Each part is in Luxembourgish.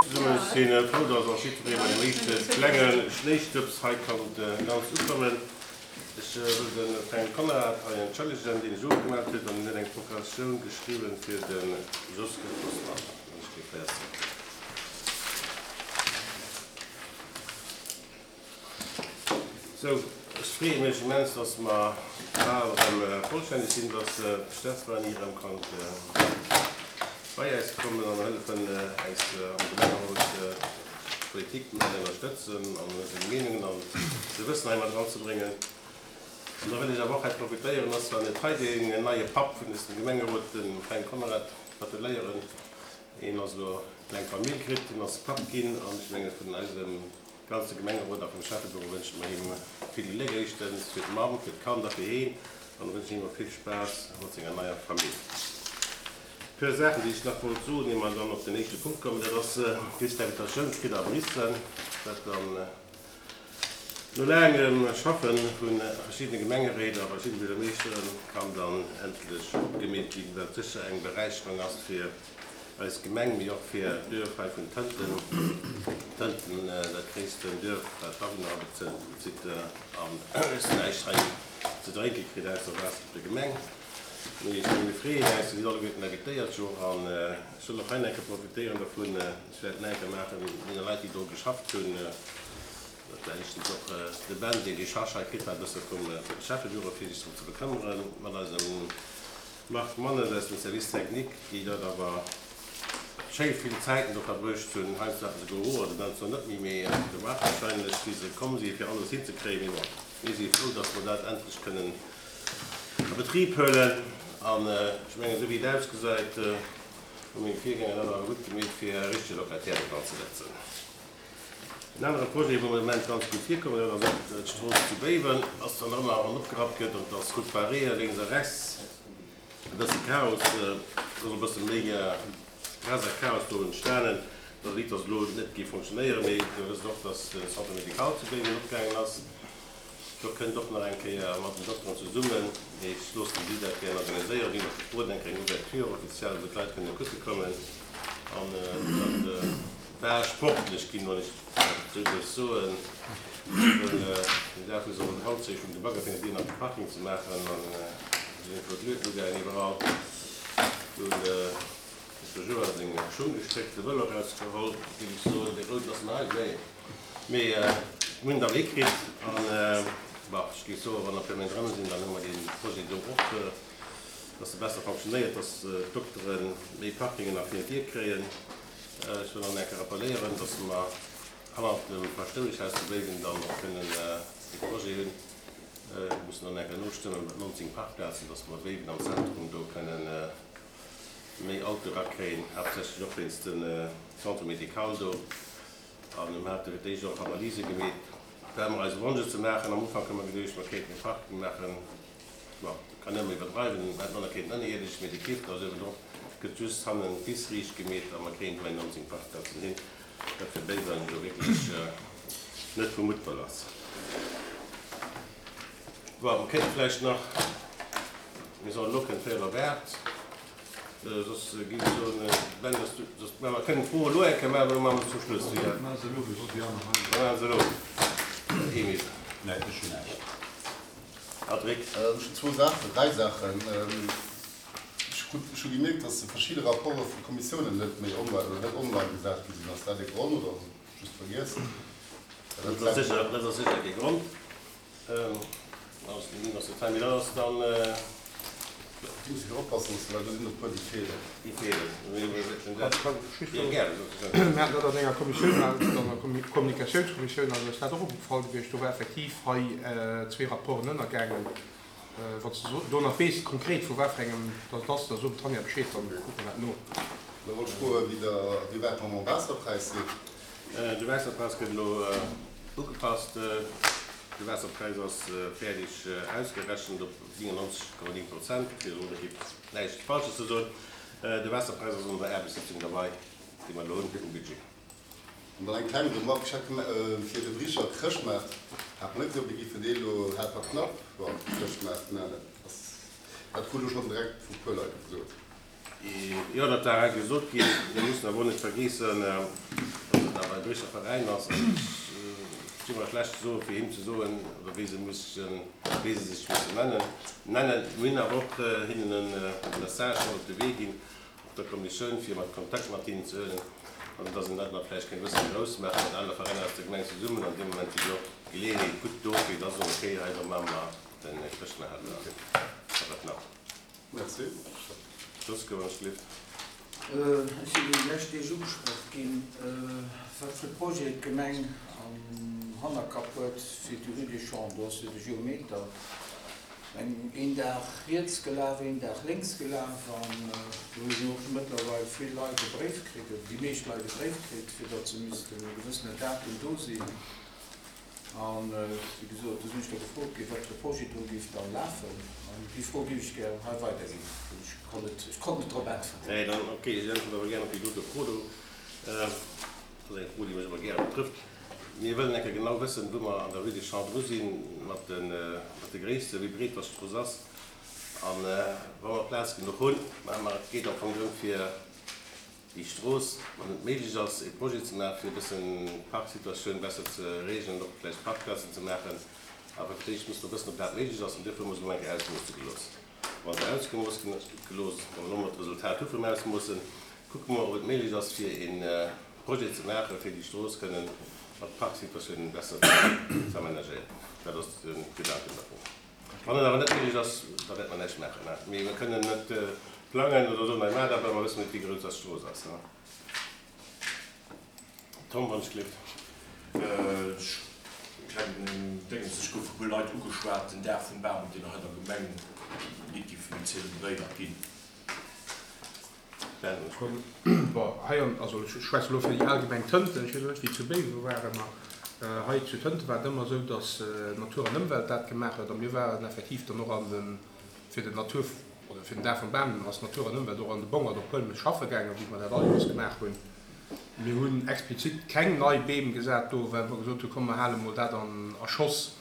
Ech si frou, dass och jiddweree bei dem éischte klenge Schnéistëbs hei konnt ganz ukommen. Ech wëll de Fränk Conrad hei entschëllegen, deen sech ofgemellt huet an en huet eng Procuratioun geschriwwen fir de Joske Vosman. An ech géif hei erzéilen. Sou, ech freeë mech immens, dass mer bal erëm vollstänneg sinn, dass d'Stefanie erëm konnt bei äis kommen an hëllefen, äis am Gemengerot d'Politik mat ënnerstëtzen an seng Meenungen an säi Wëssen hei mat eranzebréngen. An da wëll ech awer och hei profitéieren, ass zwar net hei, deen neie Papp vun dësem Gemengerot, dem Fränk Conrad, gratuléieren. Hien ass elo eng kleng Famill kritt, hien ass Papp ginn an ech menge vun eisem Ganze Gemengerot a vum Schäffebüro wënsche mer him vill Gléck, éischtens fir d'Mamm, fir d'Kand a fir heen, an wënschen him och vill Spaass mat senger neier Famill. Puer Saachen, déi ech nach wollt soen, ier mer dann op den éischte Punkt kommen, dat ass just d'Invitatioun kritt a Bréissel, wat dann no laangem Schaffe vu verschiddene Gemengeréit a verschiddene Buergermeeschteren kann dann endlech opgemeet ginn, wat sécher eng Beräicherung ass fir Eis Gemeng, mee och fir d'Duerf hei vun Tënten. Tënten, dat gréissten Duerf, wat d'Awunner abezitt an ech näischt hei ze drénke kritt ausser Waasser vun der Gemeng. Mee ech mir freeën äis, dir sidd alleguerten invitéiert jo an ech wëll och hei nach eng Kéier profitéieren dervun, ech wäert nach eng Kéier maachen, deene Leit déi do geschafft hunn, dat war éischtens och de Ben, deen déi Charge hei kritt hat e bësse vum Schäffebüro fir sech drëm ze bekëmmeren, mat eisem Marc Mannes aus dem Service technique, déi dat awer schéi vill Zäiten do verbruecht hunn. Heiansdo haten se Gehoer, de Ben zwar net méi, mee de Marc wahrscheinlech, wéi se komm si fir alles hinzekréien. Mee bon, mir si frou, dass mer dat endlech kënnen a Betrib huelen. An ech mengen, esou wéi et ausgesäit, hu meng Virgänger dat awer gutt gemeet, fir e richtege Locataire do dran ze setzen. En anere Projet, wou mer de Moment ganz gutt virkommen, dat ass och d'Strooss zu Béiwen, ass zwar nach ëmmer an opgerappt gëtt an et ass Route barrée lénks a rechts e bësse Chaos, et ass e bësse méi Stress a Chaos do entstanen. Dat liicht ass elo net géif fonctionnéieren, mee Dir wësst och, dass de Centre médical zu Béiwen opgaangen ass. Do kënnt och nach eng Kéier mat den Dokteren zesummen, mee ech loossen si dat gären organiséieren, ginn och gefrot, eng kleng Ouverture officielle, wou d'Leit kënne kucke kommen. An dat war sportlech ginn, wann ech dat esou duerf soen. Well den Dag, wou se op den Handzeeg vum de Bagger fir den Dier nach de Parking ze maachen, an do sinn flott Luedten ugaangen iwwerall. Do hunn de Joa seng Schung gestréckt, de Vëlo erausgeholl, géif ech soen, dee rouden ass nei, nee. Mee mir hunn et awer hikritt an, bon, ech géif soen, wann der puer Méint erëm sinn, dann hu mer dee Projet do och, dass e besser fonctionnéiert, dass d'Doktere méi Parkingen nach virun d'Dier kréien. Ech wëll nach eng Kéier rappelléieren, dass mer hannert dem Paschtoueschhaus zu Béiwen dann och kënnen e Projet hunn, mir mussen dann eng Kéier nostëmmen, mat 19 Parkplazen, dass mer Béiwen am Zentrum do kënnen méi Autoe rakréien, haaptsächlech och wéinst dem Centre médical do. An mir hate fir d'éischt och Analyse gemeet, fir ëmmer eise Wonsch ze maachen. Am Ufank hu mer geduecht, mer kéinten e Parking maachen. Bon, kann ëmmer iwwerdreiwen, mer hätten och kéinten ënnerierdesch, mee de Kiff, da ass uewendrop, gëtt just hannen d'Wiss riicht gemeet a mer kréien do eng 19 Parkplazen hin, wat fir Béiwen jo wierklech net vu Muttwëll ass. Bon, mer kéinte vläicht nach, mir sollen elo kënnt véierel op 8. Soss géif ech soen, Ben, dass du, soss, mä mer kënnen d'Fro elo eng Kéier maachen, oder maache mer se zum Schluss? Wéi? Maache se elo, wéi soss déi aner hei. Mer maache se elo. Emile. Nee, ech hunn näischt. Patrick. Ech hunn zwou Saachen, dräi Saachen. Ech krut, ech hu gemierkt, dass verschidde Rapporte vu Kommissiounen net méi online oder net online gesat gi sinn. Ass dat e Grond oder hunn ech just vergiess? Dat ass sécher, dat ass sécher kee Grond. Du muss jo oppassen, well do sinn e puer déi feelen. Déi feelen. Mir haten dat an enger Kommissioun, an der Kommunikatiounskommissioun, ass eis dat och opgefall gewiescht. Do war effektiv hei zwee Rapporten ënnergaangen. Wann s de do nach weess konkret vu wat fir engem dat et ass, da so dem Tanja Bescheed, dann kucke mer dat no. Da wollt ech froen, wéi der, wéi wäit mer mam Waasserpräis sinn. De Waasserpräis gëtt elo ugepasst. De Waasserpräis ass fäerdeg ausgerechent op 97,9 Prozent, fir elo net näischt Falsches ze soen. De Waasserpräis ass an der Aarbechtssitzung derbei, déi mer elo hunn fir den Budget. An dann eng kleng Remarque, ech hat fir de Bricher Chrëschtmaart hat mer net gesot, mir géifen dee elo haart a knapp, bon, Chrëschtmaart, mä dat ass, dat krut ech schonn direkt vu puer Leit gesot. Jo, dat war hei gesot ginn. Mir mussen awer och net vergeessen. Datt awer e Bréisseler Veräin ass, an ech di mer schlecht ze soen, fir him ze soen, oder wéi se mussen, wéi se sech mussen nennen. Nennen. Mir hunn awer och hinnen e Message mat op de Wee ginn, och der Kommissioun, fir mat Kontakt mat hinnen ze huelen, an datt een dat nach vläicht kéint e bësse méi grouss maachen, mat anere Veräiner aus der Gemeng zesummen. An deem Moment wier jo och d'Geleeënheet gutt do, fir da soen, okay, hei da maache mer de Chrëschtmaart a wat nach. Merci. Josco, wann ech gelift. Ech sinn déi lescht Deeg ugesprach ginn, wat fir Projet d'Gemeng am Hannerkapp huet fir déi Rue des Champs. Do ass jo de Geometer eng een Dag riets gelaf, een Dag lénks gelaf an do hunn och mëttlerweil vill Leit e Bréif kritt, oder déi meescht Leit e Bréif kritt, fir datt se missten e gewëssenen Datum do sinn. An, wéi gesot, do sinn ech da gefrot ginn, wat fir e Projet do géif da lafen. An déi Fro géif ech gär hei weiderginn, well ech konnt net, ech konnt net drop äntweren. Nee, dann, okay, ech äntweren awer gär op déi dote Fro do. Dat ass eng Fro, déi mech awer gär betrëfft. Mir wëllen eng Kéier genau wëssen, wou mer an der Rue des Champs dru sinn, mat de, mat de Gréissten, wéi breet dass d'Strooss ass. A wa mer Plaz genuch hunn, mä et geet am Fong drëm, fir déi Strooss, wann et méiglech ass, ee Projet ze maachen, fir e bëssen d'Parksituatioun besser ze reegelen, och vläicht Parkplazen ze maachen. Awer fir d'éischt muss mer wëssen, ob dat méiglech ass, an duerfir hu mer se elo eng Kéier ausmoosse gelooss. Wa se ausgemooss gelooss, wa mer elo mol d'Resultat hu vum Ausmoossen, kucke mer, ob et méiglech ass, fir ee Projet ze maachen, fir déi Strooss kënnen mat Parksituatiounen besser ze amenagéieren. Dat ass de Gedanken dervun. Wann et awer net méiglech ass, da wäerte mer näischt maachen. Mee mer kënnen net plangen oder soen, hei maacht dat, well mer wëssen net, wéi grouss dass d'Strooss ass. Tom, wann ech gelift. Ech klengen Déngens, ech gouf vu puer Leit ugeschwat, den Dag vum Bam, deen hei an der Gemeng nit giff méi zelebréiert ginn. Bon, hei an, also ech schwätze elo fir déi al Gemeng Tënten, ech weess elo net wéi zu Béiwen war, ma hei zu Tënten war et ëmmer esou, datt Natur an Ëmwelt dat gemaach huet a mir waren effektiv dann och an de, fir den Natur oder fir den Dag vum Bam ass Natur an Ëmwelt och an de Bongert op Huelmes schaffe gaangen, wéi mer dat all Joers gemaach hunn. Mir hunn explizit keng nei Beem gesat do, well mer gesot hunn, komm mer hale mol dat an a Schoss,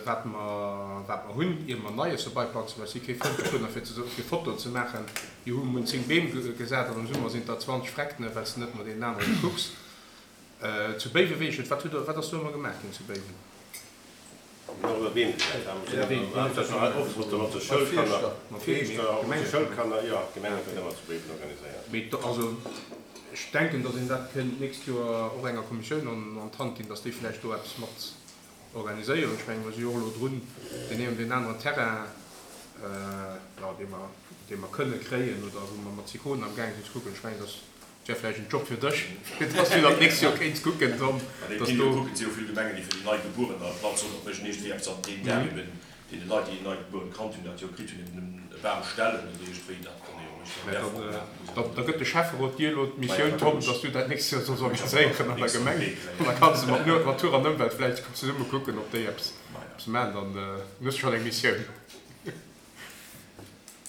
Wat mer, wat mer hunn, ier mer Neies erbeiplanzen, well ech si kee Frënd dovunner, fir ze, fir Fotoen ze maachen, jo hu mer 10 Beem gesat an am Summer sinn et der 20 Freckene, well s de net no deenen anere kucks. Zu Béiwe weess ech net, wat hutt Der, wat ass do ëmmer gemaach ginn zu Béiwen? Mir hunn och ëmmer Beem gesat, ja, mir sinn haaptsächlech hei oft mat de, mat de Schoulkanner, mat Feeschter, mat de Schoulkanner, jo, d'Gemeng huet dat ëmmer zu Béiwen organiséiert. Mee also, ech denken, datt een dat kéint d'nächst Joer och enger Kommissioun an, an d'Hand ginn, datt déi vläicht do eppes mat Organiséieren. Ech mengen, mer si jo och elo drun, deen een oder deen aneren Terrain, jo, dee mer, dee mer kënne kréien oder wou mer mat Sicona amgaange sinn ze kucken. Ech mengen, dass wär vläicht en Job fir dech, fir dass du dat d'nächst Joer kéints kucken, Tom, Mä déi dass do. Kucken, et si jo vill Gemengen, déi fir déi Neigebuerener e Platz hunn, op mécht iergendwéi eppes an deem Dag eben Deene Leit, déi en neigebuerent Kand hunn, dat jo kritt hunn, eben e Bam stellen oder iergendwéi, dat kann ee jo mécht an där Form maachen. Da gëtt de Schäfferot dir elo d'Missioun, Tom, dass du dat nächst Joer solls organiséieren an der Gemeng. An da kanns de mat Natur an Ëmwelt vläicht zesumme kucken, ob déi eppes maachen. Dann hues du schonn eng Missioun.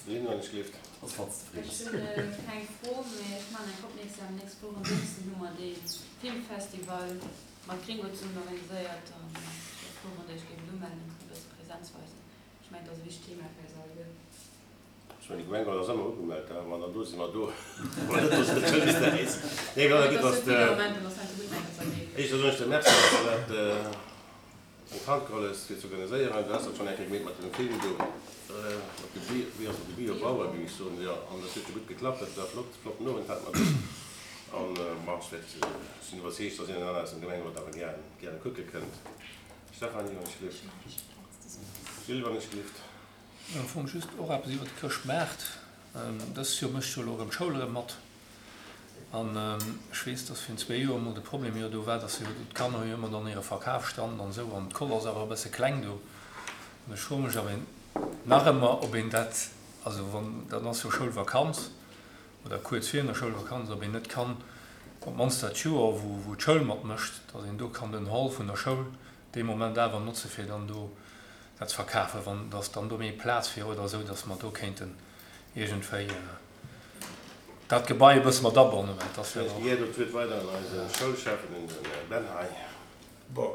Lynn, wann ech gelift. Ech hunn keng Fro, mee ech maachen eng opmierksam. Nächst Woch en Dënschden hu mer dee Filmfestival. Mat Gringo zesummen organiséiert an ech wär frou wann der iech géift umellen an e bësse Präsenz weisen. Ech mengen et ass e wichtegt Thema fir eis alleguer. Ech mengen déi Gemeng ass ëmmer ugemellt, wa mer dann do sinn, mer do, wa mer net do sinn, da wësst der eis. Nee, voilà, gutt, dass de, éischter soen ech der Merci, dass de dat an d'Hand geholl hues fir ze organiséieren. Du has dat schonn eng Kéier gemeet mat dem Film do, mat de Bio, wéi ass et, de Biobauer, géing ech soen, jo, an dat huet jo gutt geklappt, dat war flott, flotten Owend hate mer do. An bon, ech wäert, ech sinn iwwerzeegt, dass een an aner aus dem Gemengerot awer gären, gäre kucke kënnt. Stéphanie, wann ech gelift. Gilles, wann ech gelift. Am Fong just och eppes iwwer de Chrëschtmaart. Dëst Joer mécht jo elo erëm d'Schoul erëm mat. An ech weess, dass virun zwee Joer emol de Problem jo do war, dass jo d'Kanner hu jo ëmmer dann hire Verkafsstand an esou an d'Koll ass awer e bësse kleng do. An ech froe mech, ob een nach ëmmer, ob een dat, also wann, dann ass jo Schoulvakanz, oder kuerz virun der Schoulvakanz, ob een net kann op d'mannst dat Joer, wou d'Schoul matmécht, datt een do kann den Hall vun der Schoul dee Moment awer notze fir dann do dat ze verkafen, wann datt dann do méi Plaz wier oder esou, datt mer do kéinten iergendwéi dat Gebai e bësse mat abannen, well et ass jo Ech gi do d'Wuert weider un eise Schoulschäffen, un de Ben hei. Bon,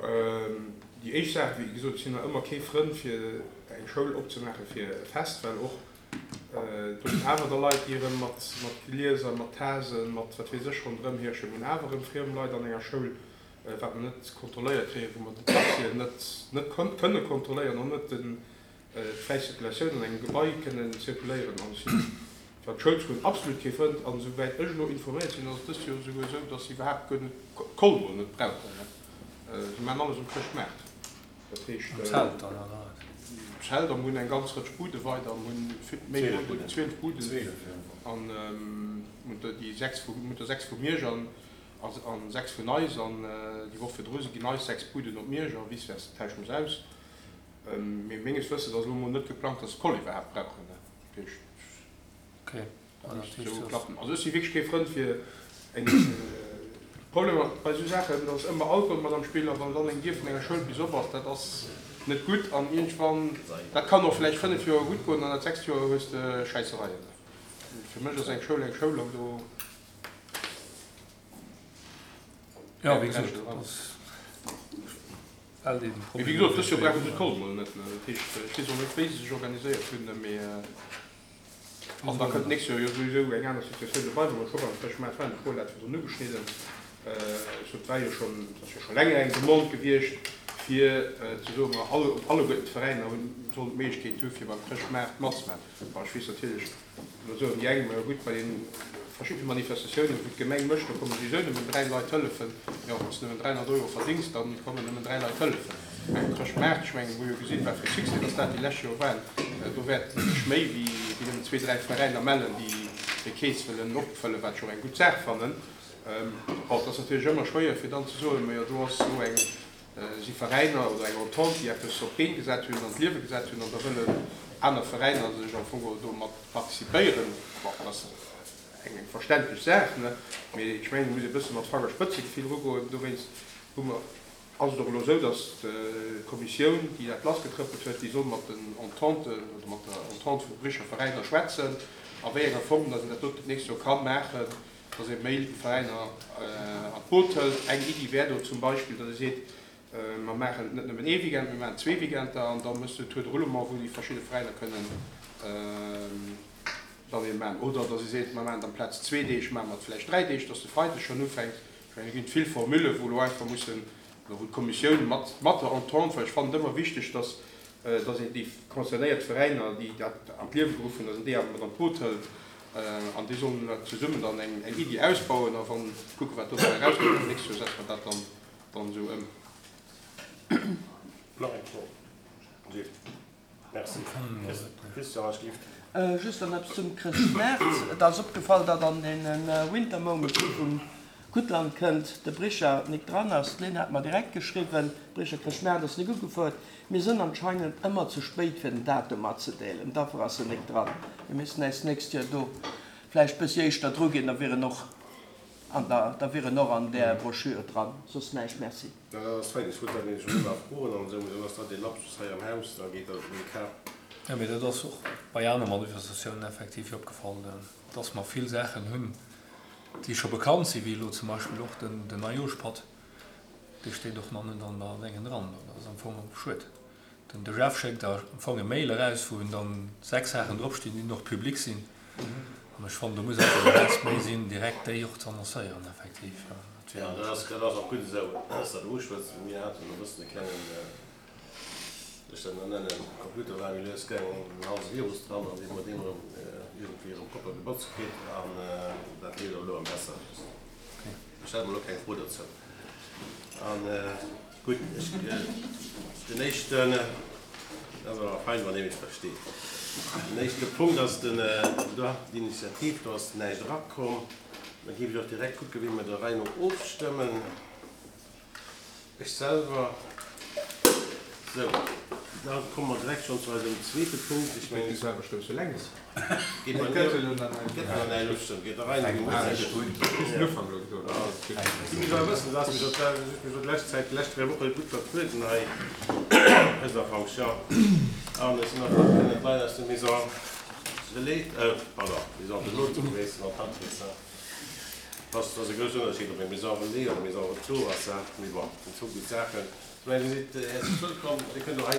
déi éischt Saach, wéi gesot, ech sinn nach ëmmer kee Frënd fir eng Schoul opzemaache fir e Fest, well och. Do sinn awer da Leit, déi erëm mat Glieser, mat Tasen, mat wat weess ech ronderëm hirschen. Mir hunn awer erëm friem Leit an enger Schoul, wat mer net kontrolléiert kréien, wou mer den Taxien net net kënne kontrolléieren, och net d'fräi Zirkulatioun an engem Gebai kënnen zirkuléieren. An ech sinn, wat d'Schoul ze goen, absolut kee Frënd. An esouwäit ech elo informéiert sinn, ass et dëst Joer esouguer esou, dass se iwwerhaapt guer net d'Koll mol net brauchen. Se maachen alles um Chrëschtmaart. Dat heescht, Am Zelt dann, oder wat? Zelt, a mir hunn eng ganz Rëtsch Bude weider, mir hunn méi Buden, 12 Buden, an mir hunn der déi 6 vu, mir hunn der 6 vu Miersch an an 6 vun eis, an déi Woch virdru si ginn eis 6 Buden op Miersch a vice versa, tauschen mer se aus. Mee menges Wëssens ass elo emol net geplangt, dass se d'Koll iwwerhaapt brauchen. Dat heescht. Okay. Dat misst esou klappen. Also ech si wierklech kee Frënd fir eng Problemer bei esou Saachen, da ass ëmmer Alkohol mat am Spill a wann dann eng Dier vun enger Schoul bis op ass, dat ass net gutt an iergendwann, dat kann och vläicht 5 Joer gutt goen an dat sechst Joer hues de Schäissereien. Fir mech ass eng Schoul eng Schoul an do. Jo, wéi gesot, dat ass well dee Mee wéi gesot, dës Joer brauche se d'Koll mol net. Dat heescht, ech weess och net wéi se sech organiséiert hunn, mee. An da kënnt d'nächst Joer jo souwisou eng aner Situatioun dobei, wou mer scho beim Chrëschtmaart waren. De Paul hat virdrun ugeschnidden, ech sot, et war jo schonn, et ass jo scho länger eng Demande gewiescht, fir ze soen, ma all, alleguerten d'Veräiner hunn, sollen d'Méiglechkeet hu fir beim Chrëschtmaart matzemaachen. Bon, ech weess natierlech, Lo soen déi eng, majo gutt, bei den verschiddene Manifestatiounen, wou d'Gemeng mécht, do komme souwisou nëmmen 3 Leit hëllefen. Jo, wann s de nëmmen 300 Euro verdéngs, da kommen nëmmen 3 Leit hëllefen. Mä um Chrëschtmaart, ech mengen, mir hu jo gesinn, wat fir e Succès dass dat déi lescht Joer waren, do wäerten sech méi wéi nëmmen zwee, dräi Veräiner mellen, déi hir Keess wëllen opfëllen, wat ech och eng gutt Saach fannen. Bon, et ass natierlech ëmmer schwéier, fir dann ze soen, majo do ass elo eng si Veräiner oder eng Entente, déi eppes op d'Been gesat hunn, an d'Liewe gesat hunn, an da wëllen aner Veräiner sech am Fong geholl do mat participéieren. Bon, dat ass eng verständlech Saach, ne? Mee ech mengen, et muss ee e bësse mat Fangerspëtzegefill erugoen. Dowéinst hu mer, ass et och elo esou, datt d'Kommissioun, déi dat lassgetrëppelt huet, déi soll mat den Ententen oder mat der Entente vun de Bricher Veräiner schwätzen, a wéi enger Form datt een dat doten d'nächst Joer ka maachen. dass ee méi Veräiner an d'Boot hëlt. Eng Iddi wär do zum Beispill, dass ee seet, mer maachen net nëmmen ee Weekend, mir maachen zwee Weekender an da méchs du e Tour de roulement, wou déi verschidde Veräiner kënnen dann ee maachen. Oder dass ee seet, mer maachen et amplaz zwee Deeg, maache mer et vläicht dräi Deeg, dass de Freideg schonn ufänkt. Ech mengen, do ginn et vill Formullen, wou elo einfach mussen, oder wou d'Kommissioun mat mat der Entente, well ech fannen et ëmmer wichteg, dass dass een déi concernéiert Veräiner, déi dat an d'Liewe geruff hunn, dass een déi awer mat an d'Boot hëlt. An déi sollen da zesummen dann eng Iddi ausbauen a wann kucken, wat dobäi erauskënnt. An d'nächst Joer setze mer dat dann dann esou ëm. Nach eng Fro? Gilles. Merci. Christian, ech giff. Just nach eppes zum Chrëschtmaart. Et ass opgefall, datt an deene Winter Moments, déi vum Guttland kënnt, de Bricher nik dran ass. D'Lynn hat mer direkt geschriwwen, Bricher Chrëschtmaart ass nik ugefuert. Mir sënn anscheinend ëmmer ze spéit fir den Datum matzedeelen, dafir ass en nik dran. Mir missten äis d'nächst Joer do vläicht bëssi éischter dru ginn, da wier en och an der, da wier en och an där Broschür dran. Soss näischt. Merci. Dat ass fein, ech wollt dat nämlech elo nach froen an esou, mee dann ass dat ee Lapsus hei am Haus, da geet dat op meng Kap. Jo, mee dat ass och bei aner Manifestatiounen effektiv opgefall, dass mer vill Saachen hunn, déi scho bekannt sinn, wéi elo zum Beispill och den Neijooschpatt. Dee steet och nach net an der Déngen dran. Dat ass am Fong schued. Den de Jeff schéckt da am Fong e Mail eraus, wou dann 6 Saachen dropstinn, déi och public sinn. An ech fannen, do muss einfach e Plaz méi sinn, direkt déi och ze annoncéieren, effektiv. Dat wär. Jo, dat ass, dat ass och gutt esou, dass Der dat uschwätzt. Mir haten e bëssen e klengen, wéi ech dat elo nennen, Computer war méi lues gaangen, en halse Virus dran an dee huet deen erëm iergendwéi erëm propper gebotzt kritt an dat leeft och elo am besser. Ech stelle mer elo keng Fro dozou. An gutt, ech, den éischten, dat ass awer fein, wann ee mech versteet. Den éischte Punkt ass den Droit d'initiative, do ass näischt erakomm. Da géif ech och direkt kucken, wéi mer der Rei no ofstëmmen. Ech selwer. Sou, da komme mer direkt schonn zu eisem zweete Punkt. Ech mengen. Geet selwer stousse lenks. Geet bei mir. Gëtt nach näischt ofstëmmen. Geet der Rei no. Si muss awer wëssen, dass mech op d'lescht Zäit, déi lescht 3 Woche gutt vertrueden hei dëser Fonction. An ech sinn och frou, kënnen d'Leit aus der Maison Relais, pardon, Maison de l'Hôte ze begréissen an d'Handwierker. Ass ass e groussen Ënnerscheed ob eng Maison Relais oder Maison Retour ass, mee bon, dat sinn zwou gutt Saachen. Ech mengen, Dir sidd häerzlech wëllkomm. Dir kënnt och hei.